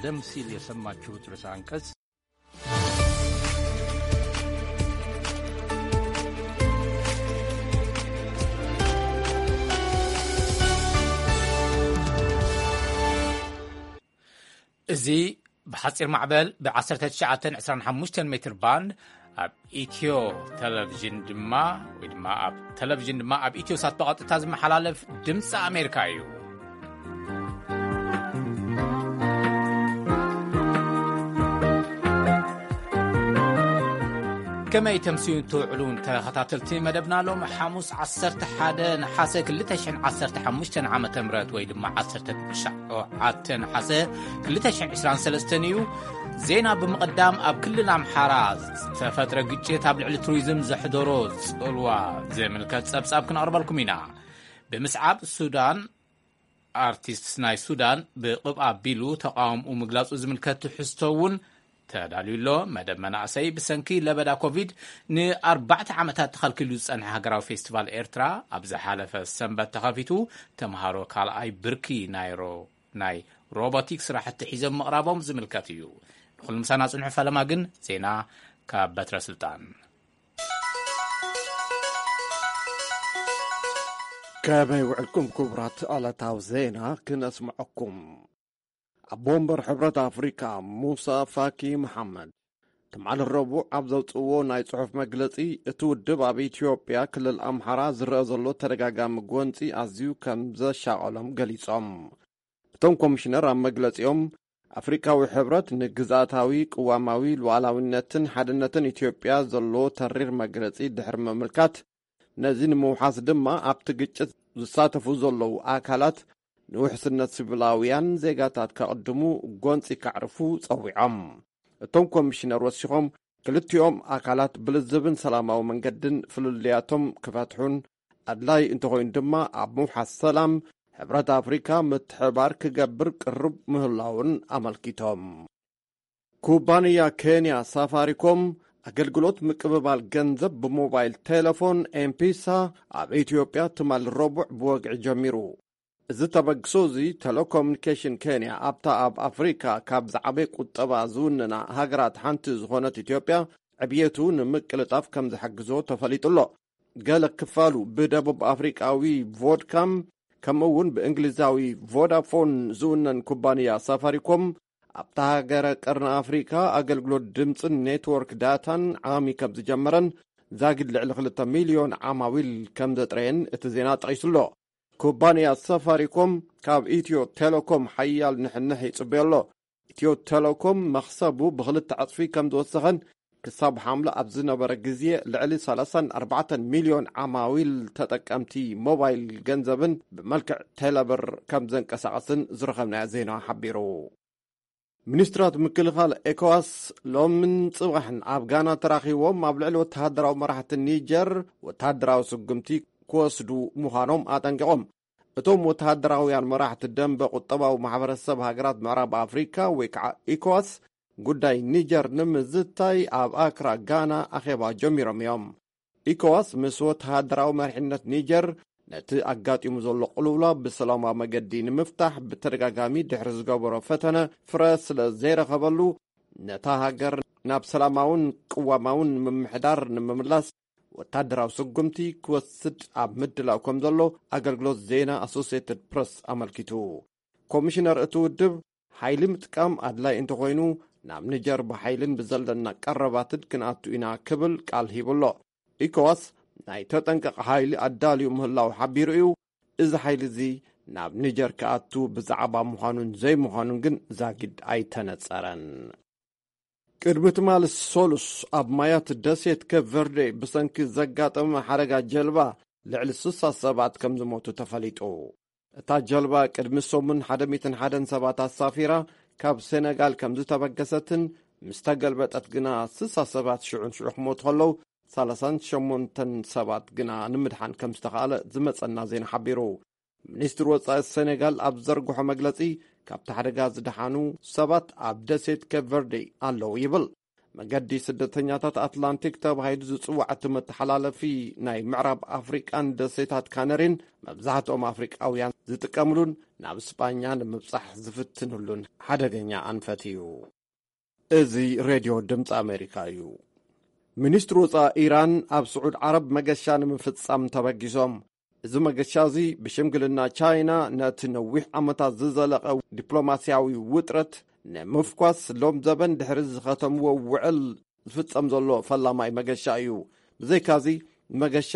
ቀደም ሲል የሰማችሁት ርዕሰ አንቀጽ። እዚ ብሓጺር ማዕበል ብ1925 ሜትር ባንድ ኣብ ኢትዮ ቴሌቪዥን ድማ፣ ወይ ድማ ኣብ ቴሌቪዥን ድማ ኣብ ኢትዮ ሳት ብቐጥታ ዝመሓላለፍ ድምፂ ኣሜሪካ እዩ። ከመይ ተምስዩ ትውዕሉን ተኸታተልቲ መደብና፣ ሎም ሓሙስ 11 ነሓሰ 2015 ዓመተ ምህረት ወይ ድማ 19 ነሓሰ 2023 እዩ። ዜና ብምቕዳም፣ ኣብ ክልል ኣምሓራ ዝተፈጥረ ግጭት ኣብ ልዕሊ ቱሪዝም ዘሕደሮ ጽልዋ ዝምልከት ጸብጻብ ክነቕርበልኩም ኢና። ብምስዓብ ሱዳን፣ ኣርቲስት ናይ ሱዳን ብቕብ ኣቢሉ ተቓውምኡ ምግላጹ ዝምልከት ትሕዝቶ እውን ተዳልዩ ኣሎ። መደብ መናእሰይ ብሰንኪ ለበዳ ኮቪድ ንኣርባዕተ ዓመታት ተኸልኪሉ ዝጸንሐ ሃገራዊ ፌስቲቫል ኤርትራ ኣብ ዝሓለፈ ሰንበት ተኸፊቱ፣ ተምሃሮ ካልኣይ ብርኪ ናይ ሮ-፣ ናይ ሮቦቲክ ስራሕቲ ሒዞም ምቕራቦም ዝምልከት እዩ። ንኹሉ ምሳና ጽንሑ፣ ፈለማ ግን ዜና ካብ በትረ ስልጣን። ከመይ ውዕልኩም ክቡራት? ዕለታዊ ዜና ክነስምዐኩም። ኣቦ ወንበር ሕብረት ኣፍሪካ ሙሳ ፋኪ መሓመድ ትማሊ ረቡዕ ኣብ ዘውፅእዎ ናይ ፅሑፍ መግለፂ፣ እቲ ውድብ ኣብ ኢትዮጵያ ክልል ኣምሓራ ዝረአ ዘሎ ተደጋጋሚ ጎንፂ ኣዝዩ ከም ዘሻቐሎም ገሊፆም። እቶም ኮሚሽነር ኣብ መግለፂኦም፣ ኣፍሪካዊ ሕብረት ንግዝኣታዊ ቅዋማዊ ሉዓላዊነትን ሓድነትን ኢትዮጵያ ዘለዎ ተሪር መግለፂ ድሕሪ ምምልካት፣ ነዚ ንምውሓስ ድማ ኣብቲ ግጭት ዝሳተፉ ዘለዉ ኣካላት ንውሕስነት ሲቪላውያን ዜጋታት ከቕድሙ ጎንፂ ከዕርፉ ጸዊዖም። እቶም ኮሚሽነር ወሲኾም፣ ክልቲኦም ኣካላት ብልዝብን ሰላማዊ መንገድን ፍልልያቶም ክፈትሑን፣ ኣድላይ እንተኾይኑ ድማ ኣብ ምውሓስ ሰላም ሕብረት ኣፍሪካ ምትሕባር ክገብር ቅሩብ ምህላውን ኣመልኪቶም። ኩባንያ ኬንያ ሳፋሪኮም ኣገልግሎት ምቅብባል ገንዘብ ብሞባይል ቴሌፎን ኤምፒሳ ኣብ ኢትዮጵያ ትማል ረቡዕ ብወግዒ ጀሚሩ። እዚ ተበግሶ እዚ ቴሌኮሙኒኬሽን ኬንያ ኣብታ ኣብ ኣፍሪካ ካብ ዝዓበየ ቁጠባ ዝውንና ሃገራት ሓንቲ ዝኾነት ኢትዮጵያ ዕብየቱ ንምቅልጣፍ ከም ዝሕግዞ ተፈሊጡ ኣሎ። ገለ ክፋሉ ብደቡብ ኣፍሪቃዊ ቮድካም ከምኡ እውን ብእንግሊዛዊ ቮዳፎን ዝውነን ኩባንያ ሳፋሪኮም ኣብታ ሃገረ ቀርኒ ኣፍሪካ ኣገልግሎት ድምፅን ኔትወርክ ዳታን ዓሚ ከም ዝጀመረን ዛጊድ ልዕሊ 2 ሚልዮን ዓማዊል ከም ዘጥረየን እቲ ዜና ጠቒሱ ኣሎ። ኩባንያ ሳፋሪኮም ካብ ኢትዮ ቴሌኮም ሓያል ንሕንሕ ይጽበዮ ኣሎ። ኢትዮ ቴሌኮም መኽሰቡ ብኽልተ ዕጽፊ ከም ዝወሰኸን ክሳብ ሓምለ ኣብ ዝነበረ ግዜ ልዕሊ 34 ሚልዮን ዓማዊል ተጠቀምቲ ሞባይል ገንዘብን ብመልክዕ ቴሌብር ከም ዘንቀሳቐስን ዝረኸብናዮ ዜና ሓቢሩ። ሚኒስትራት ምክልኻል ኤኮዋስ ሎምን ጽባሕን ኣብ ጋና ተራኺቦም ኣብ ልዕሊ ወተሃደራዊ መራሕቲ ኒጀር ወተሃደራዊ ስጉምቲ ክወስዱ ምዃኖም ኣጠንቂቖም። እቶም ወተሃደራውያን መራሕቲ ደንበ ቁጠባዊ ማሕበረሰብ ሃገራት ምዕራብ ኣፍሪካ ወይ ከዓ ኢኮዋስ ጉዳይ ኒጀር ንምዝታይ ኣብ ኣክራ ጋና ኣኼባ ጀሚሮም እዮም። ኢኮዋስ ምስ ወተሃደራዊ መሪሕነት ኒጀር ነቲ ኣጋጢሙ ዘሎ ቅልውላው ብሰላማዊ መገዲ ንምፍታሕ ብተደጋጋሚ ድሕሪ ዝገበሮ ፈተነ ፍረ ስለ ዘይረኸበሉ፣ ነታ ሃገር ናብ ሰላማውን ቅዋማውን ምምሕዳር ንምምላስ ወታደራዊ ስጉምቲ ክወስድ ኣብ ምድላው ከም ዘሎ ኣገልግሎት ዜና ኣሶሲየትድ ፕረስ ኣመልኪቱ። ኮሚሽነር እቲ ውድብ፣ ሓይሊ ምጥቃም ኣድላይ እንተኾይኑ፣ ናብ ኒጀር ብሓይልን ብዘለና ቀረባትን ክንኣቱ ኢና ክብል ቃል ሂቡ ኣሎ። ኢኮዋስ ናይ ተጠንቀቕ ሓይሊ ኣዳልዩ ምህላው ሓቢሩ እዩ። እዚ ሓይሊ እዚ ናብ ኒጀር ክኣቱ ብዛዕባ ምዃኑን ዘይምዃኑን ግን ዛጊድ ኣይተነጸረን። ቅድሚ ትማሊ ሰሉስ ኣብ ማያት ደሴት ኬፕ ቨርዴ ብሰንኪ ዘጋጠመ ሓደጋ ጀልባ ልዕሊ 60 ሰባት ከም ዝሞቱ ተፈሊጡ። እታ ጀልባ ቅድሚ ሰሙን 101 ሰባት ኣሳፊራ ካብ ሴነጋል ከም ዝተበገሰትን ምስ ተገልበጠት ግና 60 ሰባት ሽዑን ሽዑ ክሞቱ ከለዉ 38 ሰባት ግና ንምድሓን ከም ዝተኻእለ ዝመጸና ዜና ሓቢሩ። ሚኒስትሪ ወጻኢ ሴኔጋል ኣብ ዘርግሖ መግለጺ፣ ካብቲ ሓደጋ ዝደሓኑ ሰባት ኣብ ደሴት ኬፕ ቨርዴ ኣለዉ ይብል። መገዲ ስደተኛታት ኣትላንቲክ ተባሂሉ ዝጽዋዕ እቲ መተሓላለፊ፣ ናይ ምዕራብ ኣፍሪቃን ደሴታት ካነሪን መብዛሕትኦም ኣፍሪቃውያን ዝጥቀምሉን ናብ ስጳኛ ንምብጻሕ ዝፍትንሉን ሓደገኛ ኣንፈት እዩ። እዚ ሬድዮ ድምፂ ኣሜሪካ እዩ። ሚኒስትሪ ወፃኢ ኢራን ኣብ ስዑድ ዓረብ መገሻ ንምፍጻም ተበጊሶም። እዚ መገሻ እዚ ብሽምግልና ቻይና ነቲ ነዊሕ ዓመታት ዝዘለቐ ዲፕሎማስያዊ ውጥረት ንምፍኳስ ሎም ዘበን ድሕሪ ዝኸተምዎ ውዕል ዝፍጸም ዘሎ ፈላማይ መገሻ እዩ። ብዘይካዚ መገሻ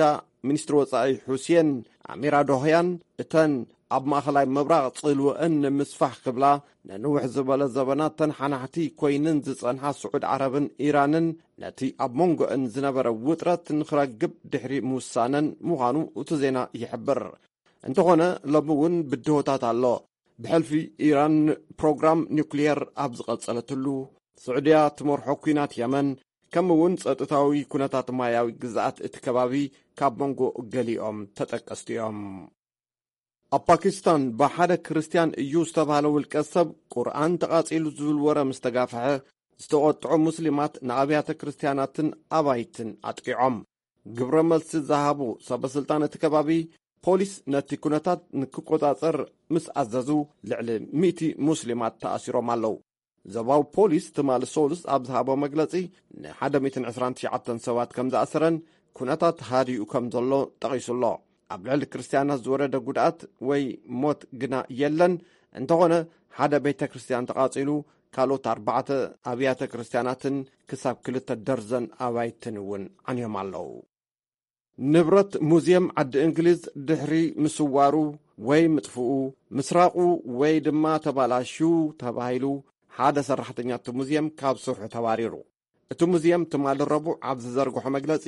ሚኒስትሪ ወፃኢ ሑሴን ኣሚራዶህያን እተን ኣብ ማእኸላይ ምብራቕ ጽልወአን ንምስፋሕ ክብላ ንንውሕ ዝበለ ዘበናት ተንሓናሕቲ ኮይንን ዝጸንሓ ስዑድ ዓረብን ኢራንን ነቲ ኣብ መንጎአን ዝነበረ ውጥረት ንኽረግብ ድሕሪ ምውሳነን ምዃኑ እቲ ዜና ይሕብር። እንተኾነ ሎሚ እውን ብድሆታት ኣሎ። ብሕልፊ ኢራን ፕሮግራም ኒውክሊየር ኣብ ዝቐጸለትሉ፣ ስዑድያ ትመርሖ ኲናት የመን፣ ከምኡ እውን ጸጥታዊ ኩነታት ማያዊ ግዝኣት እቲ ከባቢ ካብ መንጎ ገሊኦም ተጠቀስቲ እዮም። ኣብ ፓኪስታን ብሓደ ክርስትያን እዩ ዝተባህለ ውልቀ ሰብ ቁርኣን ተቓጺሉ ዝብል ወረ ምስ ተጋፍሐ፣ ዝተቖጥዑ ሙስሊማት ንኣብያተ ክርስትያናትን ኣባይትን ኣጥቂዖም። ግብረ መልሲ ዝሃቡ ሰበ ስልጣን እቲ ከባቢ፣ ፖሊስ ነቲ ኩነታት ንክቆጻጸር ምስ ኣዘዙ፣ ልዕሊ ሚእቲ ሙስሊማት ተኣሲሮም ኣለዉ። ዞባዊ ፖሊስ ትማሊ ሰሉስ ኣብ ዝሃቦ መግለጺ፣ ን ሓደ ሚእትን ዕስራን ትሽዓተን ሰባት ከም ዝኣሰረን ኩነታት ሃዲኡ ከም ዘሎ ጠቒሱ ኣሎ። ኣብ ልዕሊ ክርስትያናት ዝወረደ ጉድኣት ወይ ሞት ግና የለን። እንተኾነ፣ ሓደ ቤተ ክርስትያን ተቓጺሉ፣ ካልኦት ኣርባዕተ ኣብያተ ክርስትያናትን ክሳብ ክልተ ደርዘን ኣባይትን እውን ዓንዮም ኣለዉ። ንብረት ሙዝየም ዓዲ እንግሊዝ ድሕሪ ምስዋሩ ወይ ምጥፍኡ፣ ምስራቑ ወይ ድማ ተባላሽዩ ተባሂሉ፣ ሓደ ሰራሕተኛ እቲ ሙዝየም ካብ ስርሑ ተባሪሩ። እቲ ሙዝየም ትማሊ ረቡዕ ኣብ ዝዘርግሖ መግለጺ፣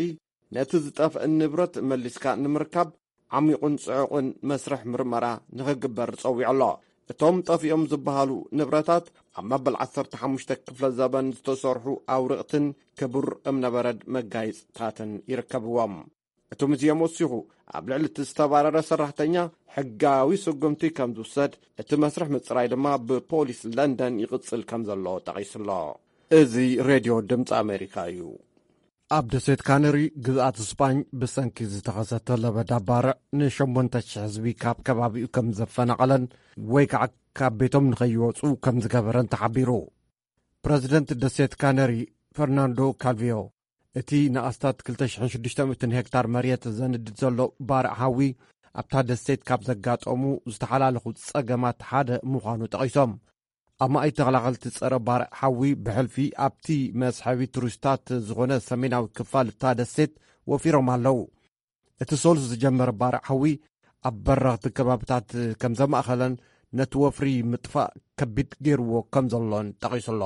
ነቲ ዝጠፍአ ንብረት መሊስካ ንምርካብ ዓሚቑን ጽዑቕን መስርሕ ምርመራ ንኽግበር ጸዊዑ ኣሎ። እቶም ጠፊኦም ዝበሃሉ ንብረታት ኣብ መበል ዓሰርተ ሓሙሽተ ክፍለ ዘበን ዝተሰርሑ ኣውርቕትን ክቡር እምነበረድ መጋየጽታትን ይርከብዎም። እቲ ሙዝየም ወሲኹ፣ ኣብ ልዕሊ እቲ ዝተባረረ ሰራሕተኛ ሕጋዊ ስጉምቲ ከም ዝውሰድ፣ እቲ መስርሕ ምጽራይ ድማ ብፖሊስ ለንደን ይቕጽል ከም ዘሎ ጠቒሱ ኣሎ። እዚ ሬድዮ ድምፂ ኣሜሪካ እዩ። ኣብ ደሴት ካነሪ ግዝኣት ስጳኝ ብሰንኪ ዝተኸሰተ ለበዳ ባርዕ ንሸሞንተ ሽሕ ህዝቢ ካብ ከባቢኡ ከም ዘፈናቐለን ወይ ከዓ ካብ ቤቶም ንኸይወፁ ከም ዝገበረን ተሓቢሩ። ፕረዚደንት ደሴት ካነሪ ፈርናንዶ ካልቪዮ እቲ ንኣስታት ክልተ ሽሕን ሽዱሽተ ሚእትን ሄክታር መሬት ዘንድድ ዘሎ ባርዕ ሓዊ ኣብታ ደሴት ካብ ዘጋጠሙ ዝተሓላለኹ ጸገማት ሓደ ምዃኑ ጠቒሶም። ኣማኢት ተኸላኸልቲ ጸረ ባርዕ ሓዊ ብሕልፊ ኣብቲ መስሐቢ ቱሪስታት ዝኾነ ሰሜናዊ ክፋል እታ ደሴት ወፊሮም ኣለዉ። እቲ ሰሉስ ዝጀመረ ባርዕ ሓዊ ኣብ በረኽቲ ከባብታት ከም ዘማእኸለን ነቲ ወፍሪ ምጥፋእ ከቢድ ገይርዎ ከም ዘሎን ጠቒሱ ኣሎ።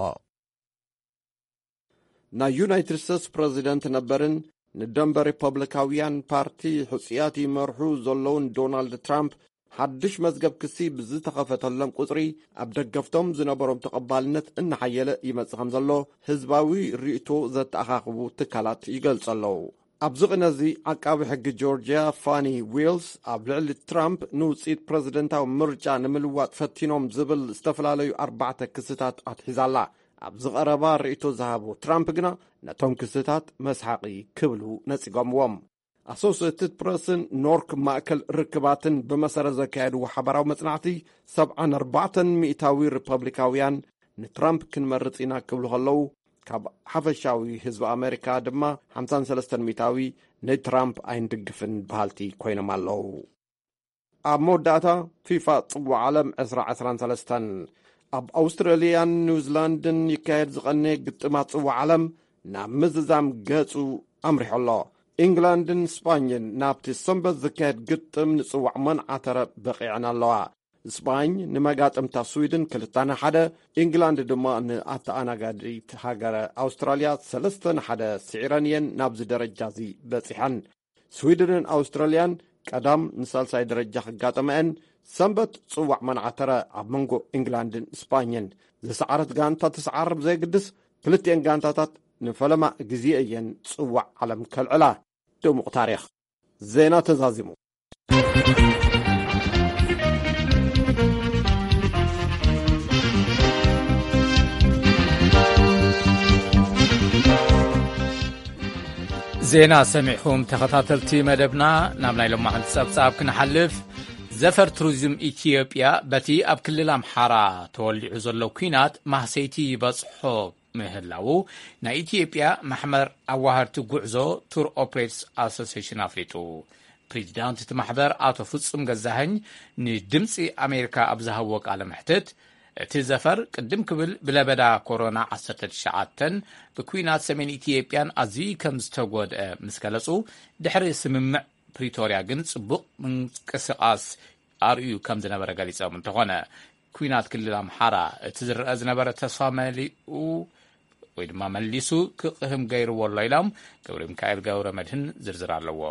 ናይ ዩናይትድ ስቴትስ ፕረዚደንት ነበርን ንደንበ ሪፐብሊካውያን ፓርቲ ሕጹያት ይመርሑ ዘለውን ዶናልድ ትራምፕ፣ ሓድሽ መዝገብ ክሲ ብዝተኸፈተሎም ቁጽሪ፣ ኣብ ደገፍቶም ዝነበሮም ተቐባልነት እናሓየለ ይመጽእ ከም ዘሎ ህዝባዊ ርእይቶ ዘተኣኻኽቡ ትካላት ይገልጹ ኣለዉ። ኣብዚ ቅነ እዚ፣ ዓቃቢ ሕጊ ጆርጅያ ፋኒ ዊልስ፣ ኣብ ልዕሊ ትራምፕ ንውጽኢት ፕረዚደንታዊ ምርጫ ንምልዋጥ ፈቲኖም ዝብል ዝተፈላለዩ ኣርባዕተ ክስታት ኣትሒዛ ኣላ። ኣብዚ ቀረባ ርእይቶ ዝሃቡ ትራምፕ ግና፣ ነቶም ክስታት መስሓቒ ክብሉ ነጺጎምዎም። ኣሶሴትድ ፕረስን ኖርክ ማእከል ርክባትን ብመሰረት ዘካየድዎ ሓባራዊ መጽናዕቲ፣ ሰብዓን ኣርባዕተን ሚእታዊ ሪፐብሊካውያን ንትራምፕ ክንመርጽ ኢና ክብሉ ከለዉ፣ ካብ ሓፈሻዊ ህዝቢ ኣሜሪካ ድማ ሓምሳን ሰለስተን ሚእታዊ ንትራምፕ ኣይንድግፍን በሃልቲ ኮይኖም ኣለዉ። ኣብ መወዳእታ፣ ፊፋ ጽዋዕ ዓለም ዕስራ ዕስራን ሰለስተን ኣብ ኣውስትራልያን ኒውዚላንድን ይካየድ ዝቐነየ ግጥማት ጽዋዕ ዓለም ናብ ምዝዛም ገጹ ኣምሪሑ ኣሎ። ኢንግላንድን ስጳኝን ናብቲ ሰንበት ዝካየድ ግጥም ንጽዋዕ መንዓተረ በቒዐን ኣለዋ። ስጳኝ ንመጋጥምታ ስዊድን ክልተ ንሓደ፣ ኢንግላንድ ድማ ንኣተኣናጋዲት ሃገረ ኣውስትራልያ ሰለስተ ንሓደ ስዒረን እየን ናብዚ ደረጃ እዚ በጺሐን። ስዊድንን ኣውስትራልያን ቀዳም ንሳልሳይ ደረጃ ክጋጠመአን፣ ሰንበት ጽዋዕ መንዓተረ ኣብ መንጎ ኢንግላንድን ስጳኝን። ዝሰዓረት ጋንታ ትስዓር ብዘየግድስ፣ ክልቲኤን ጋንታታት ንፈለማ ግዜ እየን ጽዋዕ ዓለም ከልዕላ። ድሙቕ ታሪኽ። ዜና ተዛዚሙ። ዜና ሰሚዕኹም ተኸታተልቲ መደብና። ናብ ናይ ሎማዕንቲ ጸብጻብ ክንሓልፍ፣ ዘፈር ቱሪዝም ኢትዮጵያ በቲ ኣብ ክልል ኣምሓራ ተወሊዑ ዘሎ ኲናት ማህሰይቲ ይበጽሖ ምህላዉ ናይ ኢትዮጵያ ማሕበር ኣዋሃድቲ ጉዕዞ ቱር ኦፕሬትስ ኣሶሲሽን ኣፍሊጡ። ፕሬዚዳንት እቲ ማሕበር ኣቶ ፍጹም ገዛኸኝ ንድምፂ ኣሜሪካ ኣብ ዝሃብዎ ቃለ መሕትት፣ እቲ ዘፈር ቅድም ክብል ብለበዳ ኮሮና ዓሰርተ ትሽዓተ ብኲናት ሰሜን ኢትዮጵያን ኣዝዩ ከም ዝተጎድአ ምስ ገለጹ፣ ድሕሪ ስምምዕ ፕሪቶርያ ግን ጽቡቕ ምንቅስቓስ ኣርእዩ ከም ዝነበረ ገሊጾም። እንተኾነ፣ ኲናት ክልል ኣምሓራ እቲ ዝረአ ዝነበረ ተስፋ መሊኡ ወይ ድማ መሊሱ ክቕህም ገይርዎ ኣሎ ኢሎም። ገብረ ሚካኤል ገብረ መድህን ዝርዝር ኣለዎ።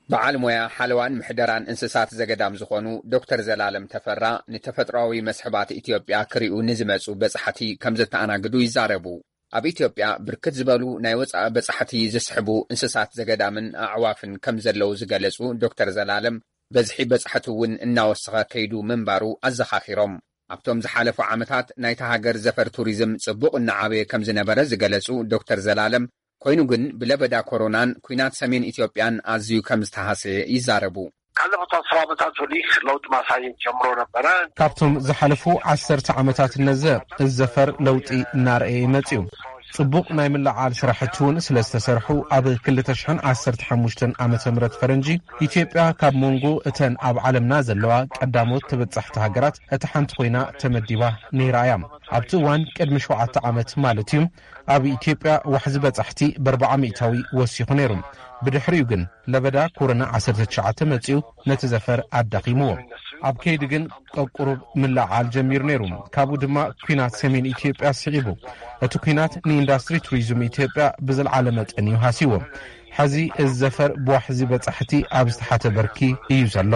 በዓል ሞያ ሓለዋን ምሕደራን እንስሳት ዘገዳም ዝኾኑ ዶክተር ዘላለም ተፈራ፣ ንተፈጥሮኣዊ መስሕባት ኢትዮጵያ ክሪኡ ንዝመጹ በጻሕቲ ከም ዘተኣናግዱ ይዛረቡ። ኣብ ኢትዮጵያ ብርክት ዝበሉ ናይ ወጻኢ በጻሕቲ ዝስሕቡ እንስሳት ዘገዳምን ኣዕዋፍን ከም ዘለዉ ዝገለጹ ዶክተር ዘላለም፣ በዝሒ በጻሕቲ እውን እናወሰኸ ከይዱ ምንባሩ ኣዘኻኺሮም። ኣብቶም ዝሓለፉ ዓመታት ናይታ ሃገር ዘፈር ቱሪዝም ጽቡቕ እናዓበየ ከም ዝነበረ ዝገለጹ ዶክተር ዘላለም፣ ኮይኑ ግን ብለበዳ ኮሮናን ኲናት ሰሜን ኢትዮጵያን ኣዝዩ ከም ዝተሃሰየ ይዛረቡ። ካለፉት አስር ዓመታት ወዲህ ለውጥ ማሳየት ጀምሮ ነበረ። ካብቶም ዝሓለፉ ዓሰርተ ዓመታት እነዘ፣ እዚ ዘፈር ለውጢ እናረኣየ ይመጽእ እዩ። ጽቡቕ ናይ ምልዓል ስራሕቲ እውን ስለ ዝተሰርሑ፣ ኣብ ክልተ ሽሕን ዓሰርተ ሓሙሽተን ዓመተ ምህረት ፈረንጂ፣ ኢትዮጵያ ካብ መንጎ እተን ኣብ ዓለምና ዘለዋ ቀዳሞት ተበጻሕቲ ሃገራት እታ ሓንቲ ኮይና ተመዲባ ነይራ እያ። ኣብቲ እዋን ቅድሚ ሸውዓተ ዓመት ማለት እዩ፣ ኣብ ኢትዮጵያ ዋሕዚ በጻሕቲ ብኣርብዓ ሚእታዊ ወሲኹ ነይሩ። ብድሕሪኡ ግን ለበዳ ኮሮና ዓሰርተ ትሽዓተ መጺኡ ነቲ ዘፈር ኣዳኺምዎ። ኣብ ከይዲ ግን ቀቁሩብ ምልዓል ጀሚሩ ነይሩ። ካብኡ ድማ ኲናት ሰሜን ኢትዮጵያ ስዒቡ። እቲ ኲናት ንኢንዳስትሪ ቱሪዝም ኢትዮጵያ ብዝለዓለ መጠን እዩ ሃሲዎ። ሕዚ እዚ ዘፈር ብዋሕዚ በጻሕቲ ኣብ ዝተሓተ በርኪ እዩ ዘሎ።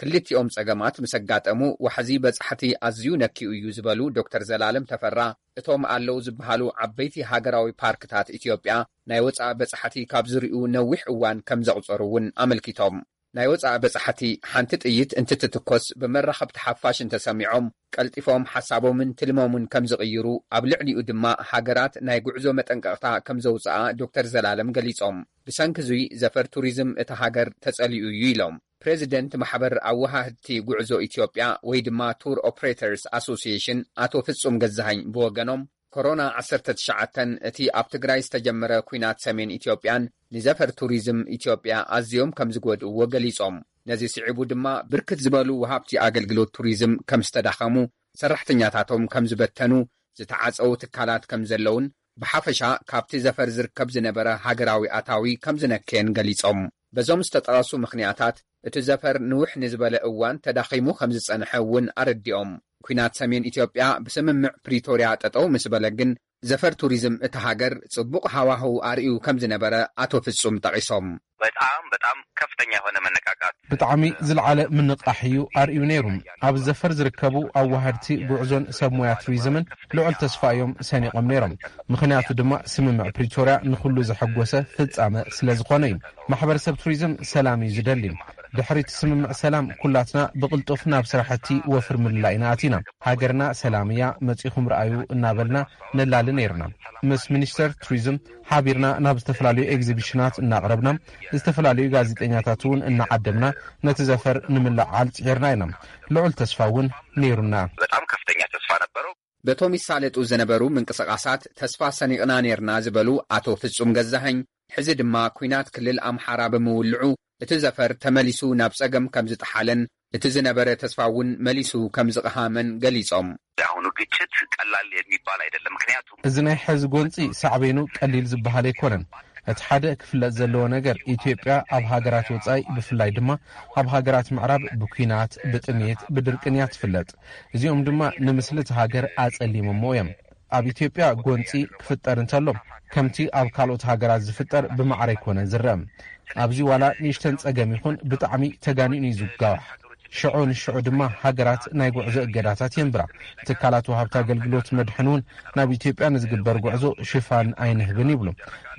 ክልቲኦም ጸገማት ምስ ኣጋጠሙ፣ ዋሕዚ በጻሕቲ ኣዝዩ ነኪኡ እዩ ዝበሉ ዶክተር ዘላለም ተፈራ፣ እቶም ኣለዉ ዝበሃሉ ዓበይቲ ሃገራዊ ፓርክታት ኢትዮጵያ ናይ ወጻኢ በጻሕቲ ካብ ዝርእዩ ነዊሕ እዋን ከም ዘቑጸሩ እውን ኣመልኪቶም። ናይ ወጻኢ በጻሕቲ ሓንቲ ጥይት እንትትትኮስ ብመራኸብቲ ሓፋሽ እንተሰሚዖም፣ ቀልጢፎም ሓሳቦምን ትልሞምን ከም ዝቕይሩ፣ ኣብ ልዕሊኡ ድማ ሃገራት ናይ ጉዕዞ መጠንቀቕታ ከም ዘውጽኣ ዶክተር ዘላለም ገሊጾም። ብሰንኪ እዙይ ዘፈር ቱሪዝም እታ ሃገር ተጸሊኡ እዩ ኢሎም። ፕሬዚደንት ማሕበር ኣወሃህድቲ ጉዕዞ ኢትዮጵያ ወይ ድማ ቱር ኦፕሬተርስ ኣሶሲዬሽን ኣቶ ፍጹም ገዛሃኝ ብወገኖም፣ ኮሮና ዓሰርተ ትሽዓተ እቲ ኣብ ትግራይ ዝተጀመረ ኲናት ሰሜን ኢትዮጵያን ንዘፈር ቱሪዝም ኢትዮጵያ ኣዝዮም ከም ዝጎድእዎ ገሊጾም። ነዚ ስዒቡ ድማ ብርክት ዝበሉ ወሃብቲ ኣገልግሎት ቱሪዝም ከም ዝተዳኸሙ፣ ሰራሕተኛታቶም ከም ዝበተኑ፣ ዝተዓጸዉ ትካላት ከም ዘለውን ብሓፈሻ ካብቲ ዘፈር ዝርከብ ዝነበረ ሃገራዊ ኣታዊ ከም ዝነከየን ገሊጾም። በዞም ዝተጠቐሱ ምኽንያታት እቲ ዘፈር ንውሕ ንዝበለ እዋን ተዳኺሙ ከም ዝጸንሐ እውን ኣረዲኦም። ኲናት ሰሜን ኢትዮጵያ ብስምምዕ ፕሪቶርያ ጠጠው ምስ በለ ግን ዘፈር ቱሪዝም እታ ሃገር ጽቡቕ ሃዋህው ኣርእዩ ከም ዝነበረ ኣቶ ፍጹም ጠቒሶም። በጣም በጣም ከፍተኛ የሆነ መነቃቃት። ብጣዕሚ ዝለዓለ ምንቓሕ እዩ ኣርእዩ ነይሩ። ኣብ ዘፈር ዝርከቡ ኣዋሃድቲ ጉዕዞን ሰብ ሞያ ቱሪዝምን ልዑል ተስፋ እዮም ሰኒቖም ነይሮም። ምኽንያቱ ድማ ስምምዕ ፕሪቶርያ ንኹሉ ዘሐጎሰ ፍጻመ ስለ ዝኾነ እዩ። ማሕበረሰብ ቱሪዝም ሰላም እዩ ዝደሊ። ድሕሪ እቲ ስምምዕ ሰላም ኩላትና ብቕልጡፍ ናብ ስራሕቲ ወፍሪ ምልላይ ኢና ኣቲና። ሃገርና ሰላም እያ፣ መጺኹም ረኣዩ እናበልና ነላሊ ነይርና። ምስ ሚኒስተር ቱሪዝም ሓቢርና ናብ ዝተፈላለዩ ኤግዚቢሽናት እናቕረብና፣ ዝተፈላለዩ ጋዜጠኛታት እውን እናዓደምና ነቲ ዘፈር ንምልዕዓል ጽዒርና ኢና። ልዑል ተስፋ እውን ነይሩና። በጣም ከፍተኛ ተስፋ ነበረው። በቶም ይሳለጡ ዝነበሩ ምንቅስቓሳት ተስፋ ሰኒቕና ነይርና ዝበሉ ኣቶ ፍጹም ገዛኸኝ፣ ሕዚ ድማ ኲናት ክልል ኣምሓራ ብምውልዑ እቲ ዘፈር ተመሊሱ ናብ ጸገም ከም ዝጠሓለን እቲ ዝነበረ ተስፋ እውን መሊሱ ከም ዝቐሃመን ገሊጾም። የአሁኑ ግጭት ቀላል የሚባል አይደለም። ምክንያቱም እዚ ናይ ሕዚ ጎንጺ ሳዕቤኑ ቀሊል ዝበሃል ኣይኮነን። እቲ ሓደ ክፍለጥ ዘለዎ ነገር፣ ኢትዮጵያ ኣብ ሃገራት ወጻኢ፣ ብፍላይ ድማ ኣብ ሃገራት ምዕራብ ብኲናት፣ ብጥሜት፣ ብድርቅን እያ ትፍለጥ። እዚኦም ድማ ንምስሊ እቲ ሃገር ኣጸሊሞሞ እዮም። ኣብ ኢትዮጵያ ጎንጺ ክፍጠር እንተሎ፣ ከምቲ ኣብ ካልኦት ሃገራት ዝፍጠር ብማዕረ ኣይኮነን ዝረአ። ኣብዚ ዋላ ንእሽተን ጸገም ይኹን ብጣዕሚ ተጋኒኑ እዩ ዝጋዋሕ። ሽዑ ንሽዑ ድማ ሃገራት ናይ ጉዕዞ እገዳታት የንብራ። ትካላት ወሃብቲ ኣገልግሎት መድሕን እውን ናብ ኢትዮጵያ ንዝግበር ጉዕዞ ሽፋን ኣይንህብን ይብሉ።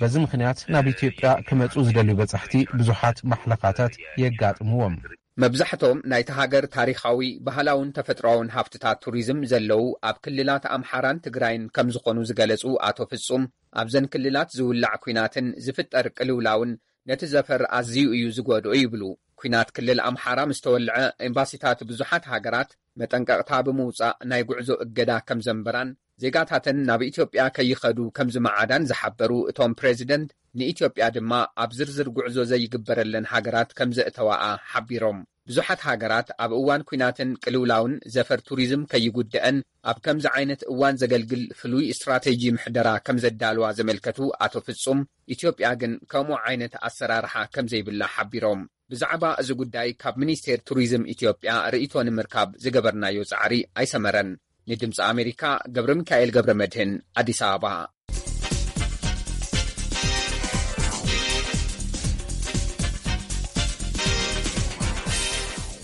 በዚ ምኽንያት ናብ ኢትዮጵያ ክመጹ ዝደልዩ በጻሕቲ ብዙሓት ማሕለኻታት የጋጥምዎም። መብዛሕቶም ናይታ ሃገር ታሪኻዊ፣ ባህላውን ተፈጥሮኣውን ሃፍትታት ቱሪዝም ዘለዉ ኣብ ክልላት ኣምሓራን ትግራይን ከም ዝኾኑ ዝገለጹ ኣቶ ፍጹም፣ ኣብዘን ክልላት ዝውላዕ ኲናትን ዝፍጠር ቅልውላውን ነቲ ዘፈር ኣዝዩ እዩ ዝጎድኦ ይብሉ። ኲናት ክልል ኣምሓራ ምስ ተወልዐ፣ ኤምባሲታት ብዙሓት ሃገራት መጠንቀቕታ ብምውጻእ ናይ ጉዕዞ እገዳ ከም ዘንበራን ዜጋታተን ናብ ኢትዮጵያ ከይኸዱ ከም ዝመዓዳን ዝሓበሩ እቶም ፕሬዚደንት፣ ንኢትዮጵያ ድማ ኣብ ዝርዝር ጉዕዞ ዘይግበረለን ሃገራት ከም ዘእተዋኣ ሓቢሮም። ብዙሓት ሃገራት ኣብ እዋን ኲናትን ቅልውላውን ዘፈር ቱሪዝም ከይጉድአን ኣብ ከምዚ ዓይነት እዋን ዘገልግል ፍሉይ ስትራቴጂ ምሕደራ ከም ዘዳልዋ ዘመልከቱ ኣቶ ፍጹም፣ ኢትዮጵያ ግን ከምኡ ዓይነት ኣሰራርሓ ከም ዘይብላ ሓቢሮም። ብዛዕባ እዚ ጉዳይ ካብ ሚኒስቴር ቱሪዝም ኢትዮጵያ ርእይቶ ንምርካብ ዝገበርናዮ ጻዕሪ ኣይሰመረን። ንድምፂ ኣሜሪካ፣ ገብረ ሚካኤል ገብረ መድህን፣ ኣዲስ ኣበባ።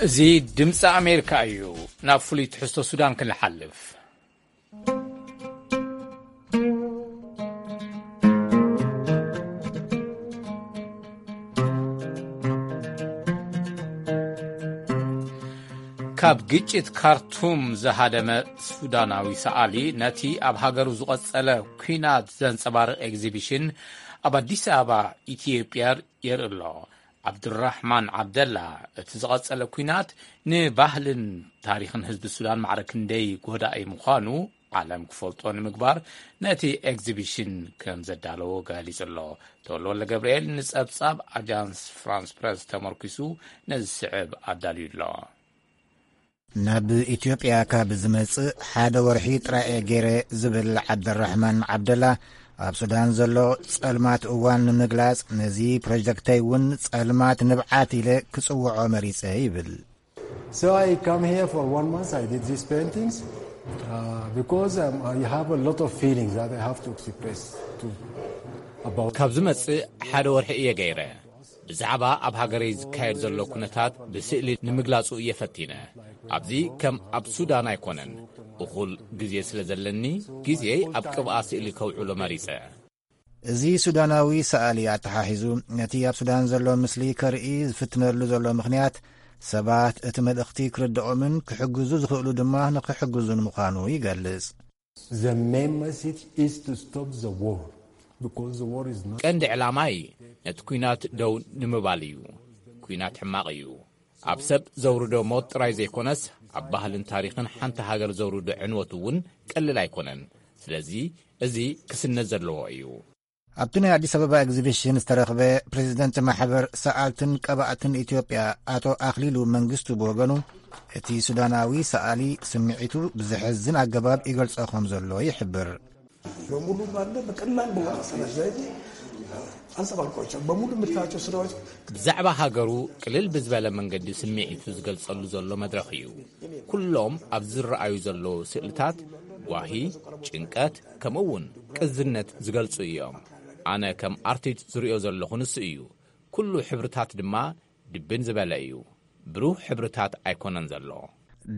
እዚ ድምፂ ኣሜሪካ እዩ። ናብ ፍሉይ ትሕዝቶ ሱዳን ክንሓልፍ። ካብ ግጭት ካርቱም ዝሃደመ ሱዳናዊ ሰኣሊ ነቲ ኣብ ሃገሩ ዝቐጸለ ኲናት ዘንጸባርቕ ኤግዚቢሽን ኣብ ኣዲስ ኣበባ ኢትዮጵያ የርኢ ኣሎ። ዓብዱራሕማን ዓብደላ፣ እቲ ዝቐጸለ ኲናት ንባህልን ታሪኽን ህዝቢ ሱዳን ማዕረ ክንደይ ጎዳኢ ምዃኑ ዓለም ክፈልጦ ንምግባር ነቲ ኤግዚቢሽን ከም ዘዳለዎ ገሊጹ ኣሎ። ተወልደ ወልደ ገብርኤል ንጸብጻብ ኣጃንስ ፍራንስ ፕረስ ተመርኪሱ ነዚ ዝስዕብ ኣዳልዩ ኣሎ። ናብ ኢትዮጵያ ካብ ዝመጽእ ሓደ ወርሒ ጥራይ እየ ገይረ ዝብል ዓብደራሕማን ዓብደላ፣ ኣብ ሱዳን ዘሎ ጸልማት እዋን ንምግላጽ ነዚ ፕሮጀክተይ እውን ጸልማት ንብዓት ኢለ ክጽውዖ መሪጸ ይብል። So I come here for one month, I did these paintings, uh, because um, I have a lot of feelings that I have to express to about ካብ ዝመጽእ ሓደ ወርሒ እየ ገይረ። ብዛዕባ ኣብ ሃገረይ ዝካየድ ዘሎ ኩነታት ብስእሊ ንምግላጹ እየ ፈቲነ። ኣብዚ ከም ኣብ ሱዳን ኣይኮነን። እኹል ግዜ ስለ ዘለኒ፣ ግዜይ ኣብ ቅብኣ ስእሊ ከውዕሎ መሪጸ። እዚ ሱዳናዊ ሰኣሊ ኣተሓሒዙ፣ ነቲ ኣብ ሱዳን ዘሎ ምስሊ ከርኢ ዝፍትነሉ ዘሎ ምኽንያት፣ ሰባት እቲ መልእኽቲ ክርድኦምን ክሕግዙ ዝኽእሉ ድማ ንኽሕግዙን ምዃኑ ይገልጽ። The main message is to stop the war, because the war is not ቀንዲ ዕላማይ ነቲ ኲናት ደው ንምባል እዩ። ኲናት ሕማቕ እዩ። ኣብ ሰብ ዘውርዶ ሞት ጥራይ ዘይኮነስ፣ ኣብ ባህልን ታሪኽን ሓንቲ ሃገር ዘውርዶ ዕንወት እውን ቀሊል ኣይኮነን። ስለዚ እዚ ክስነ ዘለዎ እዩ። ኣብቲ ናይ ኣዲስ ኣበባ ኤግዚቢሽን ዝተረኽበ ፕሬዚደንት ማሕበር ሰኣልትን ቀባእትን ኢትዮጵያ ኣቶ ኣኽሊሉ መንግስቱ ብወገኑ፣ እቲ ሱዳናዊ ሰኣሊ ስምዒቱ ብዘሕዝን ኣገባብ ይገልጾ ከም ዘሎ ይሕብር። በሙሉ ባለ በቀላል በሆነ አሰራር ዘይት አንጸባርቋቸዋል። በሙሉ የምታያቸው ስራዎች ብዛዕባ ሃገሩ ቅልል ብዝበለ መንገዲ ስምዒቱ ዝገልጸሉ ዘሎ መድረኽ እዩ። ኩሎም ኣብ ዝረኣዩ ዘለዉ ስእልታት ጓሂ፣ ጭንቀት፣ ከምኡ እውን ቅዝነት ዝገልጹ እዮም። ኣነ ከም ኣርቲስት ዝርእዮ ዘለኹ ንሱ እዩ። ኩሉ ሕብርታት ድማ ድብን ዝበለ እዩ። ብሩህ ሕብርታት ኣይኮነን ዘሎ።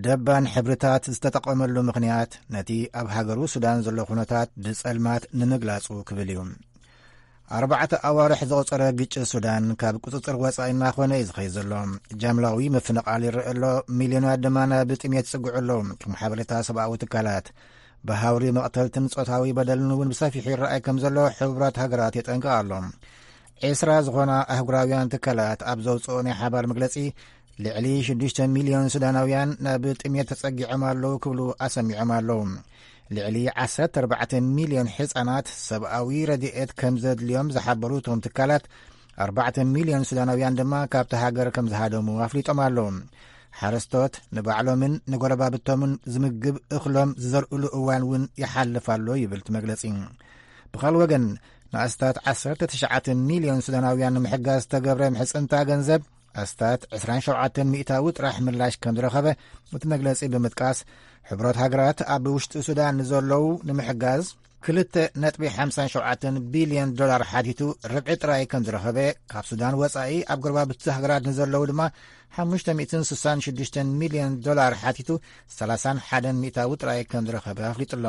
ደባን ሕብርታት ዝተጠቐመሉ ምኽንያት ነቲ ኣብ ሃገሩ ሱዳን ዘሎ ኩነታት ብጸልማት ንምግላጹ ክብል እዩ። ኣርባዕተ ኣዋርሕ ዘቑጸረ ግጭት ሱዳን ካብ ቁጽጽር ወጻኢ እናኾነ እዩ ዝኸይድ ዘሎ። ጃምላዊ ምፍንቓል ይረአ ኣሎ፣ ሚልዮናት ድማ ናብ ጥሜት ይጽግዑ ኣለዉ። ከም ሓበሬታ ሰብኣዊ ትካላት፣ ብሃውሪ መቕተልትን ጾታዊ በደልን እውን ብሰፊሑ ይረኣይ ከም ዘሎ ሕቡራት ሃገራት የጠንቅቕ ኣሎ። ዒስራ ዝኾና ኣህጉራውያን ትካላት ኣብ ዘውፅኦ ናይ ሓባር መግለፂ፣ ልዕሊ ሽዱሽተ ሚልዮን ሱዳናውያን ናብ ጥሜት ተፀጊዖም ኣለዉ ክብሉ ኣሰሚዖም ኣለዉ። ልዕሊ ዓሰርተ ኣርባዕተ ሚልዮን ህፃናት ሰብኣዊ ረድኤት ከም ዘድልዮም ዝሓበሩ እቶም ትካላት፣ ኣርባዕተ ሚልዮን ሱዳናውያን ድማ ካብቲ ሃገር ከም ዝሃደሙ ኣፍሊጦም ኣለዉ። ሓረስቶት ንባዕሎምን ንጎረባብቶምን ዝምግብ እኽሎም ዝዘርእሉ እዋን እውን ይሓልፍ ኣሎ ይብል እቲ መግለጺ። ብኻልእ ወገን፣ ንኣስታት ዓሰርተ ትሽዓተ ሚልዮን ሱዳናውያን ንምሕጋዝ ዝተገብረ ምሕጽንታ ገንዘብ ኣስታት ዕስራን ሸውዓተን ሚእታዊ ጥራሕ ምላሽ ከም ዝረኸበ እቲ መግለጺ ብምጥቃስ፣ ሕብረት ሃገራት ኣብ ውሽጢ ሱዳን ንዘለዉ ንምሕጋዝ ክልተ ነጥቢ ሓምሳን ሸውዓተን ቢልዮን ዶላር ሓቲቱ ርብዒ ጥራይ ከም ዝረኸበ፣ ካብ ሱዳን ወጻኢ ኣብ ጎረባብቲ ሃገራት ንዘለዉ ድማ ሓሙሽተ ሚእትን ስሳን ሽዱሽተን ሚልዮን ዶላር ሓቲቱ ሰላሳን ሓደን ሚእታዊ ጥራይ ከም ዝረኸበ ኣፍሊጡ ኣሎ።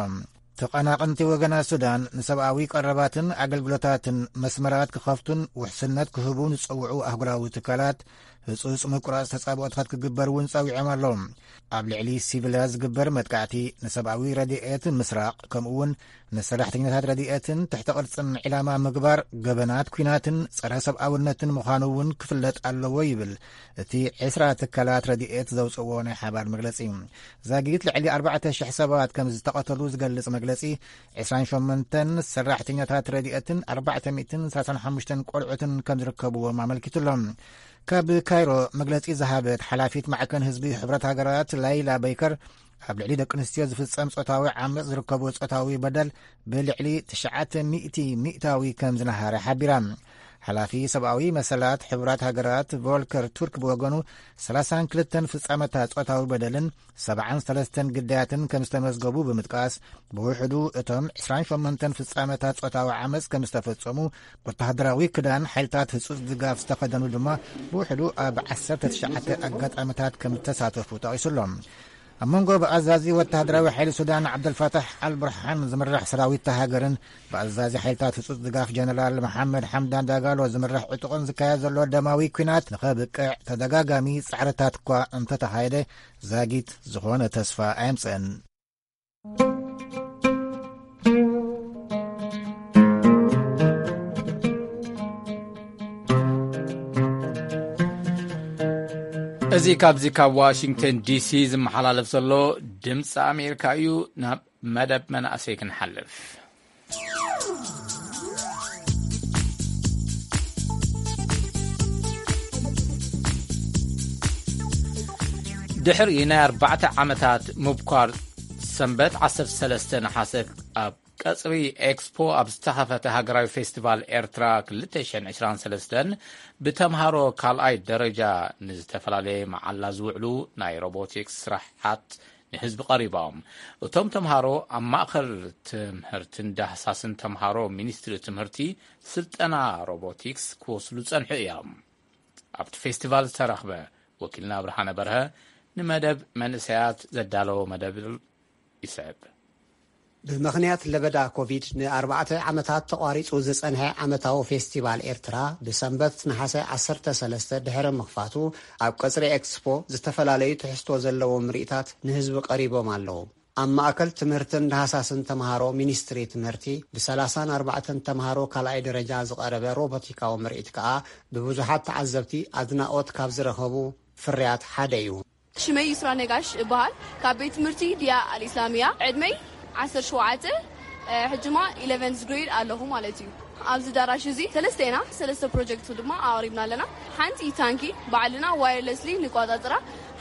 ተቐናቐንቲ ወገናት ሱዳን ንሰብኣዊ ቀረባትን ኣገልግሎታትን መስመራት ክኸፍቱን ውሕስነት ክህቡን ዝጸውዑ ኣህጉራዊ ትካላት ህጹጽ ምቁራጽ ተጻብኦታት ክግበር እውን ጸዊዖም ኣለዉ። ኣብ ልዕሊ ሲቪላት ዝግበር መጥቃዕቲ፣ ንሰብኣዊ ረድኤት ምስራቕ፣ ከምኡ እውን ንሰራሕተኛታት ረድኤትን ትሕተ ቅርጽን ዒላማ ምግባር፣ ገበናት ኲናትን ጸረ ሰብኣውነትን ምዃኑ እውን ክፍለጥ ኣለዎ ይብል እቲ ዕስራ ትካላት ረድኤት ዘውጽእዎ ናይ ሓባር መግለጺ። ዛጊት ልዕሊ ኣርባዕተ ሽሕ ሰባት ከም ዝተቐተሉ ዝገልጽ መግለጺ፣ ዕስራን ሸሞንተን ሰራሕተኛታት ረድኤትን ኣርባዕተ ሚእትን ሰላሳን ሓሙሽተን ቆልዑትን ከም ዝርከብዎም ኣመልኪቱ ኣሎ። ካብ ካይሮ መግለጺ ዝሃበት ሓላፊት ማዕከን ህዝቢ ሕብረት ሃገራት ላይላ በይከር፣ ኣብ ልዕሊ ደቂ ኣንስትዮ ዝፍጸም ጾታዊ ዓመጽ ዝርከቡ ጾታዊ በደል ብልዕሊ ትሽዓተ ሚእቲ ሚእታዊ ከም ዝነሃረ ሓቢራ። ሓላፊ ሰብኣዊ መሰላት ሕቡራት ሃገራት ቮልከር ቱርክ ብወገኑ፣ ሰላሳን ክልተን ፍጻመታት ጾታዊ በደልን ሰብዓን ሰለስተን ግዳያትን ከም ዝተመዝገቡ ብምጥቃስ፣ ብውሕዱ እቶም ዕስራን ሸሞንተን ፍጻመታት ጾታዊ ዓመጽ ከም ዝተፈጸሙ፣ ወተሃደራዊ ክዳን ሓይልታት ህጹጽ ድጋፍ ዝተኸደኑ ድማ ብውሕዱ ኣብ ዓሰርተ ትሽዓተ ኣጋጣሚታት ከም ዝተሳተፉ ጠቒሱ ኣሎ። ኣብ መንጎ ብኣዛዚ ወተሃደራዊ ሓይሊ ሱዳን ዓብደልፋታሕ ኣልቡርሓን ዝምራሕ ሰራዊት እታ ሃገርን ብኣዛዚ ሓይልታት ህጹጽ ድጋፍ ጀነራል መሓመድ ሓምዳን ዳጋሎ ዝምራሕ ዕጡቕን ዝካየድ ዘሎ ደማዊ ኲናት ንኸብቅዕ ተደጋጋሚ ጻዕርታት እኳ እንተተኻየደ፣ ዛጊት ዝኾነ ተስፋ ኣየምጽእን። እዚ ካብዚ ካብ ዋሽንግተን ዲሲ ዝመሓላለፍ ዘሎ ድምፂ ኣሜሪካ እዩ። ናብ መደብ መናእሰይ ክንሓልፍ። ድሕሪ ናይ ኣርባዕተ ዓመታት ምብኳር፣ ሰንበት ዓሰርተ ሰለስተ ነሓሰ ኣብ ቀጽሪ ኤክስፖ ኣብ ዝተኸፈተ ሃገራዊ ፌስቲቫል ኤርትራ ክልተ ሽሕን ዕስራን ሰለስተን፣ ብተምሃሮ ካልኣይ ደረጃ ንዝተፈላለየ መዓላ ዝውዕሉ ናይ ሮቦቲክስ ስራሓት ንህዝቢ ቀሪቦም። እቶም ተምሃሮ ኣብ ማእከል ትምህርትን ዳህሳስን ተምሃሮ ሚኒስትሪ ትምህርቲ ስልጠና ሮቦቲክስ ክወስዱ ጸንሑ እዮም። ኣብቲ ፌስቲቫል ዝተረኽበ ወኪልና ብርሃነ በርሀ ንመደብ መንእሰያት ዘዳለዎ መደብ ይስዕብ። ብምኽንያት ለበዳ ኮቪድ ንኣርባዕተ ዓመታት ተቋሪጹ ዝጸንሐ ዓመታዊ ፌስቲቫል ኤርትራ ብሰንበት ነሓሰ ዓሰርተ ሰለስተ ድሕሪ ምኽፋቱ፣ ኣብ ቀጽሪ ኤክስፖ ዝተፈላለዩ ትሕዝቶ ዘለዎም ምርኢታት ንህዝቢ ቀሪቦም ኣለዉ። ኣብ ማእከል ትምህርትን ዳህሳስን ተምሃሮ ሚኒስትሪ ትምህርቲ፣ ብሰላሳን ኣርባዕተን ተምሃሮ ካልኣይ ደረጃ ዝቐረበ ሮቦቲካዊ ምርኢት ከኣ ብብዙሓት ተዓዘብቲ ኣድናቖት ካብ ዝረኸቡ ፍርያት ሓደ እዩ። ሽመይ ይስራ ነጋሽ እበሃል። ካብ ቤት ትምህርቲ ዲያ ኣልኢስላሚያ። ዕድመይ ዓሰርተ ሸውዓተ፣ እ፣ ሕጂ ድማ ኢለቨንዝ ግሬድ ኣለኹ ማለት እዩ። ኣብዚ ዳራሽ እዚ ሰለስተ ኢና፣ ሰለስተ ፕሮጀክት ድማ ኣቕሪብና ኣለና። ሓንቲ ታንኪ ባዕልና ዋየርለስሊ ንቆጻጽራ፣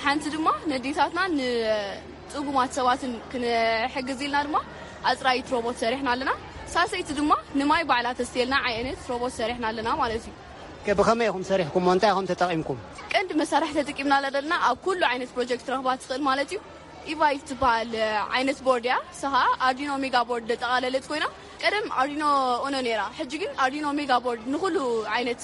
ሓንቲ ድማ ነዴታትና ንጽጉማት ሰባትን ክንሕግዝ ኢልና ድማ ኣጽራይት ሮቦት ሰሪሕና ኣለና። ሳልሰይቲ ድማ ንማይ ባዕላ ተስትየልና ዓይነት ሮቦት ሰሪሕና ኣለና ማለት እዩ። ከ ብኸመይ ኢኹም ሰሪሕኩሞ? እንታይ ኢኹም ተጠቒምኩም? ቀንዲ መሳርሒ ተጠቂምና ዘለና ኣብ ኩሉ ዓይነት ፕሮጀክት ረኽባ ትኽእል ማለት እዩ። ኢቫይት ትበሃል ዓይነት ቦርድ እያ። እሳ ኸኣ ኣርዲኖ ሜጋ ቦርድ ዘጠቓለለት ኮይና፣ ቀደም ኣርዲኖ ኡኖ ነይራ። ሕጂ ግን ኣርዲኖ ሜጋ ቦርድ ንኹሉ ዓይነት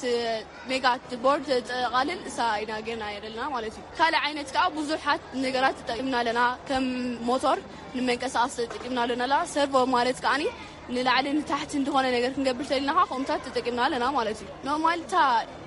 ሜጋ ቦርድ ዘጠቓልል እሳ ኢና ጌርና ዘለና ማለት እዩ። ካልእ ዓይነት ከኣ ብዙሓት ነገራት ተጠቂምና ኣለና። ከም ሞቶር ንመንቀሳቐሲ ተጠቂምና ኣለና። ሰርቮ ማለት ከኣኒ ንላዕሊ ንታሕቲ እንተኾነ ነገር ክንገብር ተሊና ኸዓ ከምኡታት ተጠቂምና ኣለና ማለት እዩ። ኖርማል እታ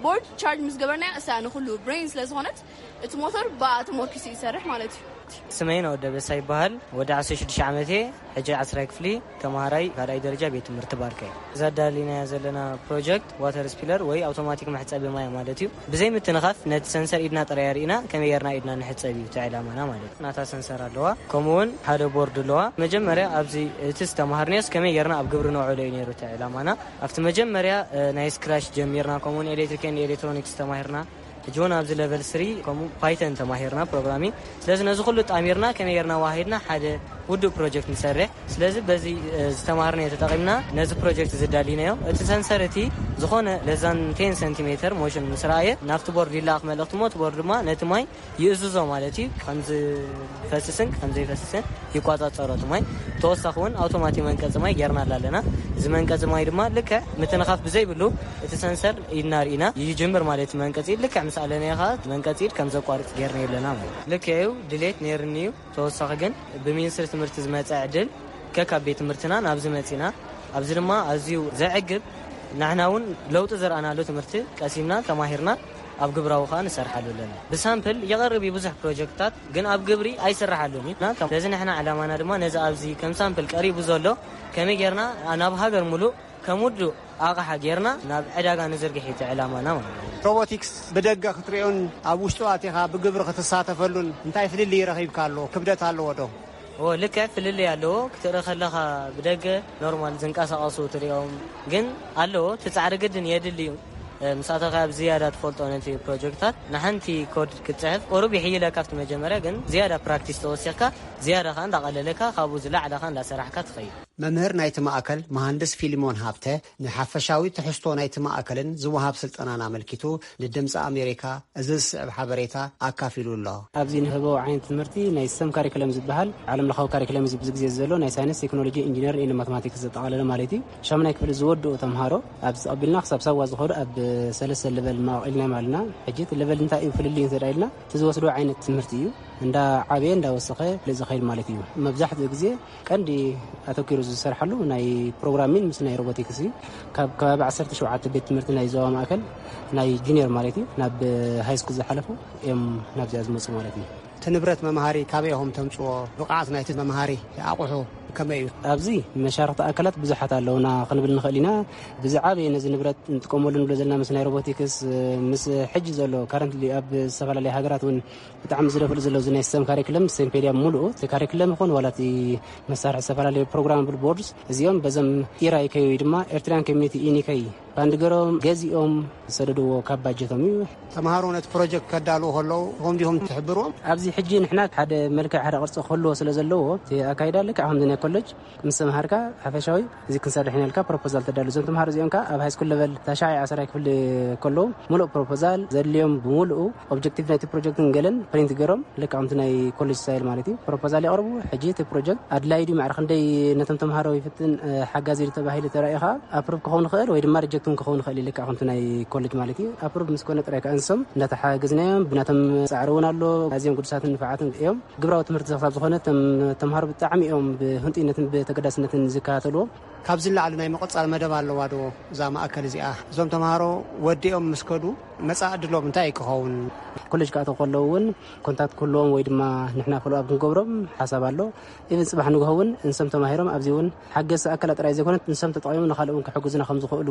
ቦርድ ቻርጅ ምስ ገበርናያ እሳ ንኹሉ ብሬን ስለ ዝኾነት እቲ ሞተር ብኣ ተሞርኪሱ ይሰርሕ ማለት እዩ። ስመይ ነው ደበሳ ይበሃል። ወዲ ዓሰርተ ሽዱሽተ ዓመት እየ። ሕጂ ዓስራይ ክፍሊ ተማሃራይ ካልኣይ ደረጃ ቤት ትምህርቲ ባርከ እየ። እዛ ኣዳሊናያ ዘለና ፕሮጀክት ዋተር ስፒለር ወይ ኣውቶማቲክ መሕጸቢ ማይ ማለት እዩ። ብዘይ ምትንኻፍ ነቲ ሰንሰር ኢድና ጥራይ ኣርኢና ከመይ ጌርና ኢድና ንሕጸብ እዩ እቲ ዕላማና ማለት እዩ። ናታ ሰንሰር ኣለዋ፣ ከምኡ እውን ሓደ ቦርድ ኣለዋ። መጀመርያ ኣብዚ እቲ ዝተምሃርናዮስ ከመይ ጌርና ኣብ ግብሪ ነውዕሎ እዩ ነይሩ እቲ ዕላማና። ኣብቲ መጀመርያ፣ እ፣ ናይ ስክራች ጀሚርና፣ ከምኡ እውን ኤሌክትሪክ ኤንድ ኤሌክትሮኒክስ ተማሂርና። ሕጂ እውን ኣብዚ ለቨል ስሪ ከምኡ ፓይተን ተማሂርና ፕሮግራሚንግ። ስለዚ ነዚ ኩሉ ጣሚርና ከመይ ጌርና ዋሂድና ሓደ ውዱእ ፕሮጀክት ንሰርሕ። ስለዚ በዚ፣ እ፣ ዝተማሃርናዮ ተጠቒምና ነዚ ፕሮጀክት እዚ ኣዳሊናዮ። እቲ ሰንሰር እቲ ዝኾነ ለዛን ቴን ሰንቲሜተር ሞሽን ምስ ረኣየ ናብቲ ቦርድ ይለኣኽ መልእኽቲ እሞ እቲ ቦርድ ድማ ነቲ ማይ ይእዝዞ ማለት እዩ። ከም ዝፈስስን ከም ዘይፈስስን ይቆጻጸሮ እቲ ማይ። ተወሳኺ እውን ኣውቶማቲክ መንቀጺ ማይ ጌርናላ ኣለና። እዚ መንቀጺ ማይ ድማ ልክዕ ምትንኻፍ ብዘይብሉ እቲ ሰንሰር ኢድና ርኢና ይጅምር ማለት እዩ። መንቀጺ ኢድ ልክዕ ምስ ኣለናዮ ኸዓ መንቀጺ ኢድ ከም ዘቋርጽ ጌርናዮ ኣለና ማለት እዩ። ልክዕ እዩ፣ ድሌት ነይርኒ እዩ። ተወሳኺ ግን ብሚኒስትሪ ትምህርቲ ዝመጸ ዕድል ከካብ ቤት ትምህርትና ናብዚ መጺና። ኣብዚ ድማ ኣዝዩ ዘዕግብ፣ ንሕና እውን ለውጢ ዘርኣናሉ ትምህርቲ ቀሲምና ተማሂርና። ኣብ ግብራዊ ከኣ ንሰርሓሉ ኣለና። ብሳምፕል ይቐርብ እዩ ብዙሕ ፕሮጀክትታት፣ ግን ኣብ ግብሪ ኣይስርሓሉን እዩ። እና ከም ነዚ ንሕና ዕላማና ድማ ነዚ ኣብዚ ከም ሳምፕል ቀሪቡ ዘሎ ከመይ ጌርና ናብ ሃገር ሙሉእ ከም ውዱእ ኣቕሓ ጌርና ናብ ዕዳጋ ንዝርግሕ እዩ እቲ ዕላማና ማለት እዩ። ሮቦቲክስ ብደገ ክትሪኦን ኣብ ውሽጡ ኣቲኻ ብግብሪ ክትሳተፈሉን እንታይ ፍልልይ ረኺብካ ኣሎ? ክብደት ኣለዎ ዶ? ኦ፣ ልክዕ ፍልልይ ኣለዎ። ክትርኢ ከለኻ ብደገ ኖርማል ዝንቀሳቐሱ ትሪኦም፣ ግን ኣለዎ። እቲ ጻዕሪ ግድን የድሊ እዩ። እ፣ ምስ ኣተኻ ኣብ ዝያዳ ትፈልጦ ነቲ ፕሮጀክታት ንሓንቲ ኮድ ክትጽሕፍ ቁሩብ ይሕይለካ ኣብቲ መጀመርያ፣ ግን ዝያዳ ፕራክቲስ ተወሲኽካ ዝያዳ ከኣ እንዳቐለለካ ካብኡ ዝለዓለ ከኣ እንዳሰራሕካ ትኸይድ። መምህር ናይቲ ማእከል መሃንድስ ፊልሞን ሃብተ ንሓፈሻዊ ትሕዝቶ ናይቲ ማእከልን ዝወሃብ ስልጠናን ኣመልኪቱ ንድምፂ ኣሜሪካ እዚ ዝስዕብ ሓበሬታ ኣካፊሉ ኣሎ። ኣብዚ ንህቦ ዓይነት ትምህርቲ ናይ ሰም ካሪክለም ዝበሃል ዓለም ለኻዊ ካሪክለም እዩ። ብዙ ግዜ ዘሎ ናይ ሳይንስ፣ ቴክኖሎጂ፣ ኢንጂነር ን ማቴማቲክስ ዘጠቓለለ ማለት እዩ። ሻምናይ ክፍሊ ዝወድኡ ተምሃሮ ኣብዚ ተቐቢልና ክሳብ ሳዋ ዝኸዱ ኣብ ሰለስተ ለቨል ማቕ ኢልና ማለትና። ሕጂ እቲ ለቨል እንታይ እዩ ፍልልዩ እንተ ኢልና እቲ ዝወስዶ ዓይነት ትምህርቲ እዩ። እንዳ ዓበየ እንዳ ወሰኸ ዝኸይድ ማለት እዩ። መብዛሕትኡ ግዜ ቀንዲ ኣተኪሩ ዝሰርሓሉ ናይ ፕሮግራሚን ምስ ናይ ሮቦቲክስ እዩ። ካብ ከባቢ ዓሰርተ ሸውዓተ ቤት ትምህርቲ ናይ ዞባ ማእከል ናይ ጁኒየር ማለት እዩ ናብ ሃይ ስኩል ዝሓለፉ እዮም ናብዚኣ ዝመፁ ማለት እዩ። እቲ ንብረት መምሃሪ ካበይ ኢኹም ተምፅዎ? ብቕዓት ናይቲ መምሃሪ ኣቑሑ ከመይ እዩ? ኣብዚ መሻርክቲ ኣካላት ብዙሓት ኣለውና ክንብል ንኽእል ኢና። ብዝዓበየ ነዚ ንብረት ንጥቀመሉ ንብሎ ዘለና ምስ ናይ ሮቦቲክስ፣ ምስ ሕጂ ዘሎ ካረንትሊ ኣብ ዝተፈላለዩ ሃገራት እውን ብጣዕሚ ዝደፍሉ ዘለዉ ናይ ሰም ካሪክለም፣ ስቴም ፔድያ፣ ሙሉኡ እቲ ካሪክለም ይኹን ዋላ እቲ መሳርሒ ዝተፈላለዩ ፕሮግራማብል ቦርድስ እዚኦም በዞም ኢራይከይ ወይ ድማ ኤርትራያን ኮሚኒቲ ኢኒከይ ባንድ ገሮም ገዚኦም ዝሰደድዎ ካብ ባጀቶም እዩ። ተምሃሮ ነቲ ፕሮጀክት ከዳልዉ ከለዉ ኢኹም ዲኹም ትሕብርዎም? ኣብዚ ሕጂ ንሕና ሓደ መልክዕ ሓደ ቅርፂ ክህልዎ ስለ ዘለዎ እቲ ኣካይዳ ልክዕ ከምዚ ናይ ኮሌጅ ምስ ተምሃርካ ሓፈሻዊ እዚ ክንሰርሕ ኢና ኢልካ ፕሮፖዛል ተዳሉ። እዞም ተምሃሮ እዚኦም ከኣ ኣብ ሃይስኩል ለቨል ታሽዓይ ዓሰርተ ክፍሊ ከለዉ ሙሉእ ፕሮፖዛል ዘድልዮም ብምሉኡ ኦብጀክቲቭ ናይቲ ፕሮጀክትን ገለን ፕሪንት ገይሮም ልክዕ ከምቲ ናይ ኮሌጅ ስታይል ማለት እዩ ፕሮፖዛል የቕርቡ። ሕጂ እቲ ፕሮጀክት ኣድላይ ድዩ ማዕረ ክንደይ ነቶም ተምሃሮ ይፍትን፣ እ፣ ሓጋዚ ድዩ ተባሂሉ ተራእዩ ከኣ ኣፕሩቭ ክኸውን ይኽእል ወይ ድማ ሪጀክት እውን ክኸውን ይኽእል እዩ። ልክዕ ከምቲ ናይ ኮሌጅ ማለት እዩ። ኣፕሩቭ ምስ ኮነ ጥራይ ከኣ ንሶም እንዳተሓገዝናዮም ብናቶም ጻዕሪ እውን ኣሎ። ኣዝዮም ግዱሳትን ንፉዓትን እዮም። ግብራዊ ትምህርቲ ክሳብ ዝኾነ እቶም ተምሃሮ ብጣዕሚ እዮም ብህንጡይነትን ብተገዳስነትን ዝከታተልዎ። ካብዚ ንላዕሊ ናይ ምቕጻል መደብ ኣለዋ ዶ እዛ ማእከል እዚኣ? እዞም ተምሃሮ ወዲኦም ምስ ከዱ መጻኢ ዕድሎም እንታይ ክኸውን? ኮሌጅ ክኣተዉ ከለዉ እውን ኮንታክት ክህልዎም ወይ ድማ ንሕና ፎሎኣፕ ክንገብሮም ሓሳብ ኣሎ። ኢቨን ጽባሕ ንግሆ እውን እንሶም ተማሂሮም ኣብዚ እውን ሓገዝቲ ኣካላት ጥራይ ዘይኮነት እንሶም ተጠቒሞም ንኻልእ እውን ክሕግዙና ከም ዝኽእሉ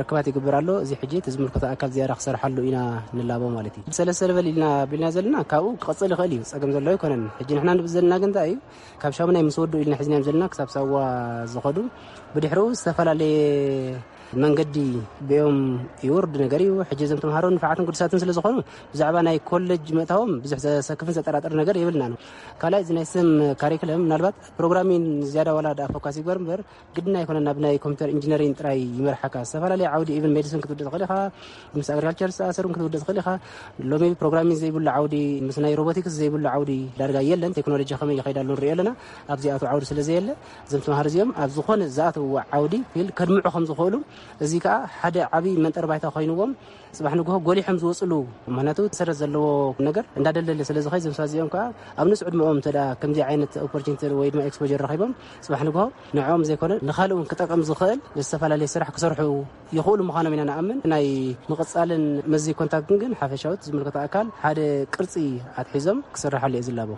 ርክባት ይግበር ኣሎ። እዚ ሕጂ እቲ ዝምልከቶ ኣካል ዝያዳ ክሰርሓሉ ኢና ንላቦ ማለት እዩ። ሰለስተ ለቨል ኢልና ቢልና ዘለና ካብኡ ክቐጽል ይኽእል እዩ፣ ጸገም ዘሎ ኣይኮነን። ሕጂ ንሕና ንብል ዘለና ግን እንታይ እዩ፣ ካብ ሻሙናይ ምስ ወድኡ ኢልና ሒዝናዮም ዘለና ክሳብ ሳዋ ዝኸዱ፣ ብድሕሪኡ ዝተፈላለየ መንገዲ ብኦም ይውርድ ነገር እዩ። ሕጂ እዞም ተምሃሮ ንፋዓትን ግዱሳትን ስለ ዝኾኑ ብዛዕባ ናይ ኮሌጅ ምእታዎም ብዙሕ ዘሰክፍን ዘጠራጥር ነገር የብልናን። ካልኣይ እዚ ናይ ስም ካሪክለም ምናልባት ፕሮግራሚን ዝያዳ ዋላ ደኣ ፎካስ ይግበር እምበር ግድና ኣይኮነን ናብ ናይ ኮምፒውተር ኢንጂነሪንግ ጥራይ ይመርሓካ። ዝተፈላለየ ዓውዲ ኢቨን ሜዲሲን ክትውድእ ትኽእል ኢኻ፣ ምስ ኣግሪካልቸር ዝተኣሰሩ ክትውድእ ትኽእል ኢኻ። ሎሚ ፕሮግራሚንግ ዘይብሉ ዓውዲ ምስ ናይ ሮቦቲክስ ዘይብሉ ዓውዲ ዳርጋ የለን። ቴክኖሎጂ ከመይ ይኸይድ ኣሎ ንሪኦ ኣለና። ኣብዚኣቱ ዓውዲ ስለ ዘየለ እዞም ተምሃሮ እዚኦም ኣብ ዝኾነ ዝኣተውዎ ዓውዲ ፊልድ ከድምዑ ከም ዝኽእሉ እዚ ከኣ ሓደ ዓብዪ መንጠር ባይታ ኮይንዎም ጽባሕ ንግሆ ጎሊሖም ዝወፅሉ። ምክንያቱ ሰረት ዘለዎ ነገር እንዳደለለ ስለ ዝኸይ እዞም ሰባት እዚኦም ከኣ ኣብ ንሱ ዕድመኦም እንተ ደኣ ከምዚ ዓይነት ኦፖርቹኒቲ ወይ ድማ ኤክስፖጀር ረኺቦም ጽባሕ ንግሆ ንዕኦም ዘይኮነ ንኻልእ እውን ክጠቅም ዝኽእል ዝተፈላለየ ስራሕ ክሰርሑ ይኽእሉ ምዃኖም ኢና ንኣምን። ናይ ምቕጻልን መዚ ኮንታክትን ግን ሓፈሻዊ ዝምልከቶ ኣካል ሓደ ቅርጺ ኣትሒዞም ክስርሓሉ እየ ዝላቦ።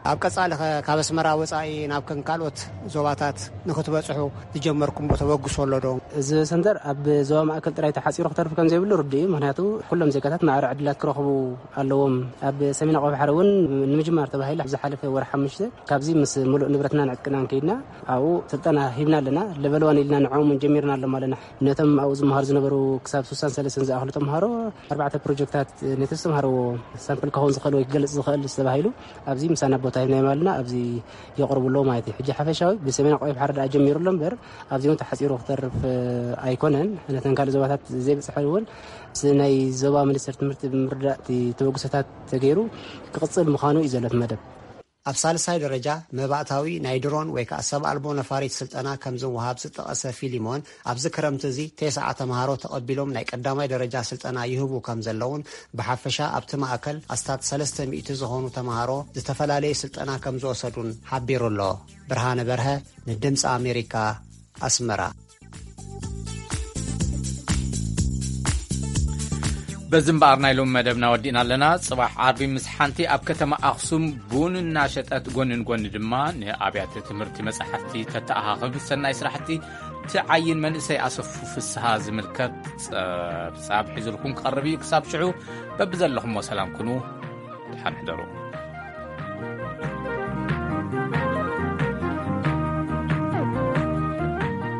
ኣብ ቀጻሊ ኸ ካብ ኣስመራ ወጻኢ ናብ ከም ካልኦት ዞባታት ንኽትበጽሑ ዝጀመርኩምዎ ተበግሶ ኣሎ ዶ? እዚ ሰንተር ኣብ ዞባ ማእከል ጥራይ ተሓጺሩ ክተርፍ ከም ዘይብሉ ርዱእ እዩ። ምኽንያቱ ኩሎም ዜጋታት ማዕረ ዕድላት ክረኽቡ ኣለዎም። ኣብ ሰሜን ኣቕርቢ ባሕሪ እውን ንምጅማር ተባሂሉ ዝሓለፈ ወርሒ ሓሙሽተ ካብዚ ምስ ምሉእ ንብረትናን ዕጥቅናን ከይድና ኣብኡ ስልጠና ሂብና ኣለና። ለቨል ዋን ኢልና ንዕኦም እውን ጀሚርና ኣለና። ነቶም ኣብኡ ዝመሃሩ ዝነበሩ ክሳብ ስሳን ሰለስተን ዝኣኽሉ ተምሃሮ ኣርባዕተ ፕሮጀክታት ነቲ ዝተምሃርዎ ሳምፕል ክኸውን ዝኽእል ወይ ክገልጽ ዝኽእል ዝተባሂሉ ኣብዚ ምሳና ቦታ ሂብናዮም ኣለና። ኣብዚ የቕርቡ ኣለዉ ማለት እዩ። ሕጂ ሓፈሻዊ ብሰሜን ኣቕርቢ ባሕሪ ደኣ ጀሚሩ ኣሎ እምበር ኣብዚ እውን ተሓጺሩ ክተርፍ ኣይኮነን። ነተን ካልእ ዞባታት ዘይበጽሐ እውን ምስ ናይ ዞባ ሚኒስተር ትምህርቲ ብምርዳእ እቲ ተበግሶታት ተገይሩ ክቕጽል ምዃኑ እዩ ዘሎ እቲ መደብ። ኣብ ሳልሳይ ደረጃ መባእታዊ ናይ ድሮን ወይ ከኣ ሰብ ኣልቦ ነፋሪት ስልጠና ከም ዝወሃብ ዝጠቐሰ ፊሊሞን፣ ኣብዚ ክረምቲ እዚ ተስዓ ተምሃሮ ተቐቢሎም ናይ ቀዳማይ ደረጃ ስልጠና ይህቡ ከም ዘለውን ብሓፈሻ ኣብቲ ማእከል ኣስታት ሰለስተ ሚእቲ ዝኾኑ ተምሃሮ ዝተፈላለየ ስልጠና ከም ዝወሰዱን ሓቢሩ ኣሎ። ብርሃነ በርሀ ንድምፂ ኣሜሪካ ኣስመራ። በዚ እምበኣር ናይ ሎሚ መደብና ወዲእና ኣለና። ጽባሕ ዓርቢ ምስ ሓንቲ ኣብ ከተማ ኣኽሱም ቡን እናሸጠት፣ ጎኒ ንጎኒ ድማ ንኣብያተ ትምህርቲ መጻሕፍቲ ተተኣኻኽብ ሰናይ ስራሕቲ ትዓይን መንእሰይ ኣሰፉ ፍስሃ ዝምልከት ጸብጻብ ሒዙልኩም ክቐርብ እዩ። ክሳብ ሽዑ በብዘለኹሞ ሰላም ኩኑ። ደሓን ሕደሩ።